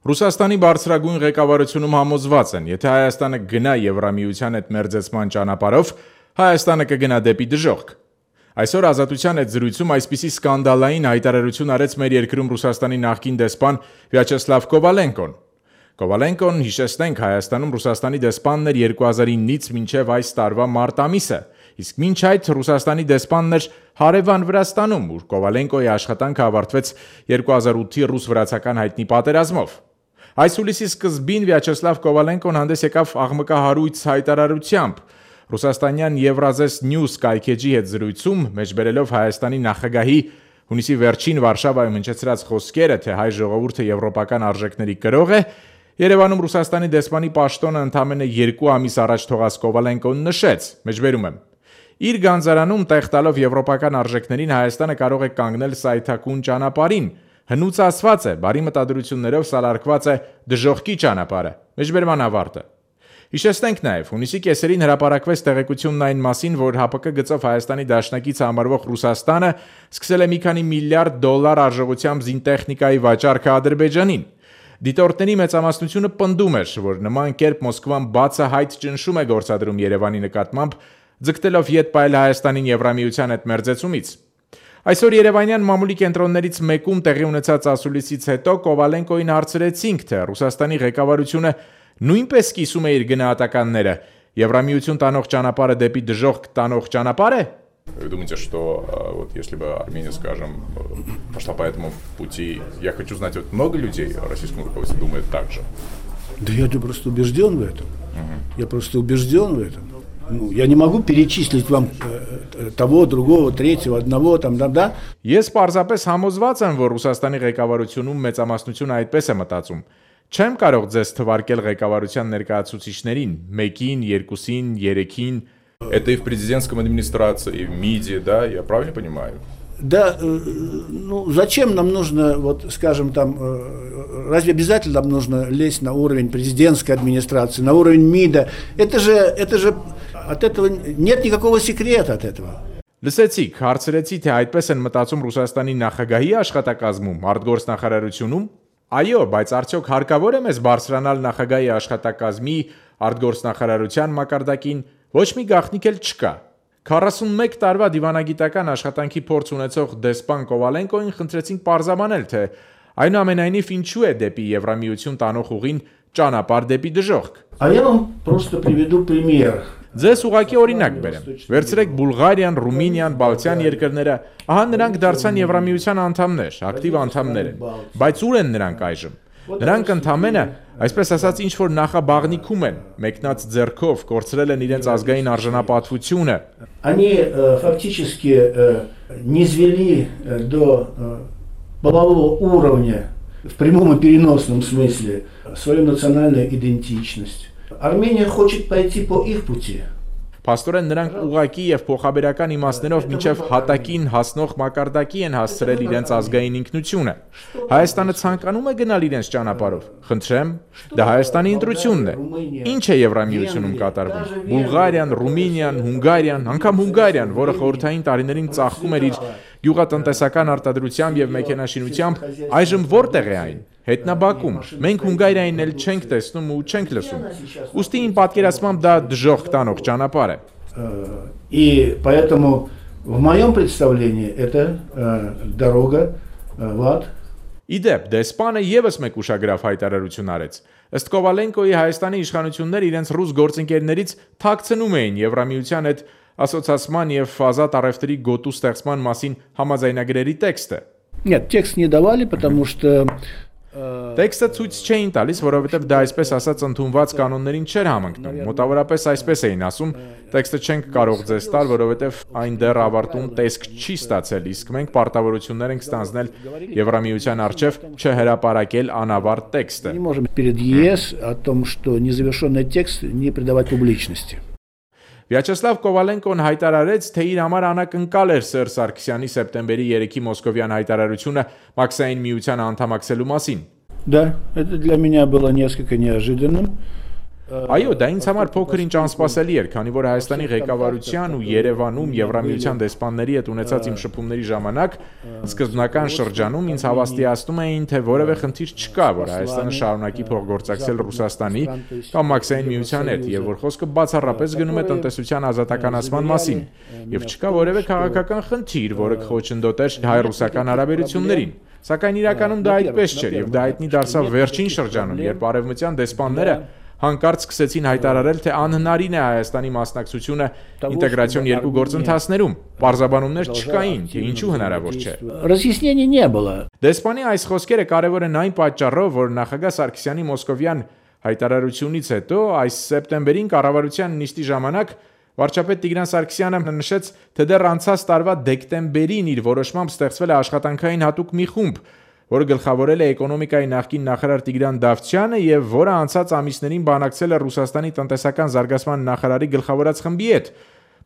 Ռուսաստանի բարձրագույն ղեկավարությունում համոզված են, եթե Հայաստանը գնա Եվրամիության հետ մերձեցման ճանապարհով, Հայաստանը կգնա դեպի դժոխք։ Այսօր Ազատության հետ զրույցում այսպիսի սկանդալային հայտարարություն արեց մեր երկրում Ռուսաստանի նախկին դեսպան Վյաչեսլավ Կովալենկոն։ Կովալենկոն, հիշեցնենք, Հայաստանում Ռուսաստանի դեսպանն էր 2009-ից մինչև այս տարվա մարտ ամիսը, իսկ մինչ այդ Ռուսաստանի դեսպանն էր հարևան Վրաստանում, ուր Կովալենկոյի աշխատանքը ավարտվեց 2008-ի ռուս-վրացական հայտնի պատերազմով։ Այս հուլիսի սկզբին Վյաչեսլավ Կովալենկոն հանդես եկավ աղմկահարույց հայտարարությամբ։ Ռուսաստանյան Եվրազես Նյուս կայքեջի հետ զրույցում մեջբերելով Հայաստանի նախագահի հունիսի վերջին Վարշավայում հնչեցրած խոսքերը, թե հայ ժողովուրդը եվրոպական արժեքների կրող է, Երևանում Ռուսաստանի դեսպանի պաշտոնը ընդամենը 2 ամիս առաջ թողած Կովալենկոն նշեց, մեջբերում եմ. Իր գանձարանում տեղ տալով եվրոպական արժեքներին Հայաստանը կարող է կանգնել սայթաքուն ճանապարհին, հնուց ասված է, բարի մտադրություններով սալարկված է դժոխքի ճանապարհը, մեջբերման ավարտը։ Հիշեցնենք նաև, հունիսի կեսերին հրապարակվեց տեղեկությունն այն մասին, որ ՀԱՊԿ գծով Հայաստանի դաշնակից համարվող Ռուսաստանը սկսել է մի քանի միլիարդ դոլար արժողությամբ զինտեխնիկայի վաճառքը Ադրբեջանին։ Դիտորդների մեծամասնությունը պնդում էր, որ նման կերպ Մոսկվան բացահայտ ճնշում է գործադրում Երևանի նկատմամբ, ձգտելով ետ պահել Հայաստանին Եվրամիության հետ մերձեցումից։ Այսօր Երևանյան մամուլի կենտրոններից մեկում տեղի ունեցած ասուլիսից հետո Կովալենկոին հարցրեցինք, թե Ռուսաստանի ղեկավարությունը նույնպես կիսում է իր գնահատականները, Եվրամիություն տանող ճանապարհը դեպի դժոխք տանող ճանապարհ է։ Вы думаете, что вот если бы Армения, скажем, пошла по этому пути, я хочу знать, вот много людей в российском руководстве думает так же? Да я просто убежден в этом. Я просто убежден в этом. Ну, я не могу перечислить вам того, другого, третьего, одного, там, да. Ես պարզապես համոզված եմ, որ Ռուսաստանի ղեկավարությունում մեծամասնությունը այդպես է мտածում։ Չեմ կարող ձեզ թվարկել ղեկավարության ներկայացուցիչներին, մեկին, երկուսին, երեքին։ Это и в президентском администрации, и в МИДе, да, я правильно понимаю? Да, ну зачем нам нужно, вот скажем там, разве обязательно нам нужно лезть на уровень президентской администрации, на уровень МИДа? Это же от этого нет никакого секрета от этого. Լսեցիք, հարցրեցի, թե այդպես են մտածում Ռուսաստանի նախագահի աշխատակազմում, արտգործնախարարությունում։ Այո, բայց արդյոք հարկավոր է մեզ բարձրանալ նախագահի աշխատակազմի, արտգործնախարարության մակարդակին, ոչ մի գաղտնիք էլ չկա։ 41 տարվա դիվանագիտական աշխատանքի փորձ ունեցող դեսպան Կովալենկոին խնդրեցինք պարզաբանել, թե այնուամենայնիվ ինչու է դեպի Եվրամիություն տանող ուղին ճանապարհ դեպի դժոխք։ А я вам просто приведу пример. Ձեզ ուղղակի օրինակ բերեմ։ Վերցրեք Բուլղարիան, Ռումինիան, Բալթյան երկրները, ահա նրանք դարձան Եվրամիության անդամներ, ակտիվ անդամներ են։ Բայց ուր են նրանք այժմ։ Նրանք ընդամենը, այսպես ասած, ինչ որ նախաբաղնիքում են, մեկնած ձեռքով կորցրել են իրենց ազգային արժանապատվությունը։ Они фактически низвели до полового уровня в прямом и переносном смысле свою национальную идентичность. Армения хочет пойти по их пути. Փաստորեն նրանք ուղղակի եւ փոխաբերական իմաստներով մինչեւ հատակին հասնող մակարդակի են հասցրել իրենց ազգային ինքնությունը։ Հայաստանը ցանկանում է գնալ իրենց ճանապարհով։ Խնդրեմ, դա Հայաստանի ընտրությունն է։ Ինչ է Եվրամիությունում կատարվում։ Բուլղարիան, Ռումինիան, Հունգարիան, անգամ Հունգարիան, որը խորհրդային տարիներին ծաղկում էր իր գյուղատնտեսական արտադրությամբ եւ մեքենաշինությամբ, այժմ որտեղ է այն։ Հետնաբակում։ Մենք Հունգարիային էլ չենք տեսնում ու չենք լսում։ Ուստի իմ պատկերացմամբ դա դժոխք տանող ճանապարհ է։ И поэтому в моем представлении это дорога в ад. Իդեպ, դեսպանը եւս մեկ ուշագրավ հայտարարություն արեց։ Ըստ Կովալենկոյի Հայաստանի իշխանությունները իրենց ռուս գործընկերներից թաքցնում էին Եվրամիության հետ ասոցիացման եւ ազատ առևտրի գոտու ստեղծման մասին համաձայնագրերի տեքստը։ Нет, текст не давали, потому что Տեքստը ցույց չէին տալիս, որովհետև դա այսպես ասած ընդունված կանոններին չէր համընկնում։ Մոտավորապես այսպես էին ասում. տեքստը չենք կարող ձեզ տալ, որովհետև այն դեռ ավարտուն տեսք չի ստացել, իսկ մենք պարտավորություններ ենք ստանձնել Եվրամիության առջև չհրապարակել անավարտ տեքստը։ Не можем перед ЕС о том, что незавершенный текст не придавать публичности. Վյաչեսլավ Կովալենկոն հայտարարեց, թե իր համար անակնկալ էր Սերժ Սարգսյանի սեպտեմբերի 3-ի մոսկովյան հայտարարությունը Մաքսային միության անդամակցելու մասին։ Да, это для меня было несколько неожиданным. Այո, դա ինձ համար փոքր-ինչ անսպասելի էր, քանի որ Հայաստանի ղեկավարության ու Երևանում Եվրամիության դեսպանների հետ ունեցած իմ շփումների ժամանակ սկզբնական շրջանում ինձ հավաստիացնում էին, թե որևէ խնդիր չկա, որ Հայաստանը շարունակի փոխգործակցել Ռուսաստանի կամ Մաքսային միության հետ, եւ որ խոսքը բացառապես գնում է տնտեսության ազատականացման մասին, եւ չկա որևէ քաղաքական խնդիր, որը կխոչընդոտեր հայ-ռուսական հարաբերություններին։ Սակայն իրականում դա այդպես չէր, եւ դա հայտնի դարձավ վերջին շրջանում, երբ արևմտյան դեսպանները հանկարծ սկսեցին հայտարարել, թե անհնարին է Հայաստանի մասնակցությունը ինտեգրացիոն երկու գործընթացներում։ Պարզաբանումներ չկային, թե ինչու հնարավոր չէ։ Разъяснений не было. Դեսպանի այս խոսքերը կարևոր են այն պատճառով, որ նախագահ Սարգսյանի մոսկովյան հայտարարությունից հետո այս սեպտեմբերին կառավարության նիստի ժամանակ վարչապետ Տիգրան Սարգսյանը նշեց, թե դեռ անցած տարվա դեկտեմբերին իր որոշմամբ ստեղծվել է աշխատանքային հատուկ մի խումբ, որը գլխավորել է էկոնոմիկայի նախկին նախարար Տիգրան Դավթյանը եւ որը անցած ամիսներին բանակցել է Ռուսաստանի տնտեսական զարգացման նախարարի գլխավորած խմբի հետ,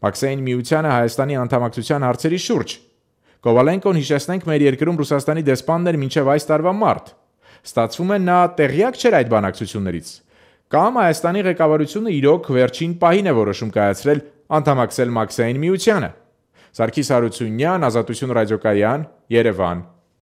Մաքսային միությանը Հայաստանի անդամակցության հարցերի շուրջ։ Կովալենկոն, հիշեցնենք, մեր երկրում Ռուսաստանի դեսպանն էր մինչև այս տարվա մարտ։ Ստացվում է նա տեղյակ չէր այդ բանակցություններից։ Կամ Հայաստանի ղեկավարությունը իրոք վերջին պահին է որոշում կայացրել անդամակցել Մաքսային միությանը։ Սարգիս Հարությունյան, Ազատություն ռադիոկայան, Երևան։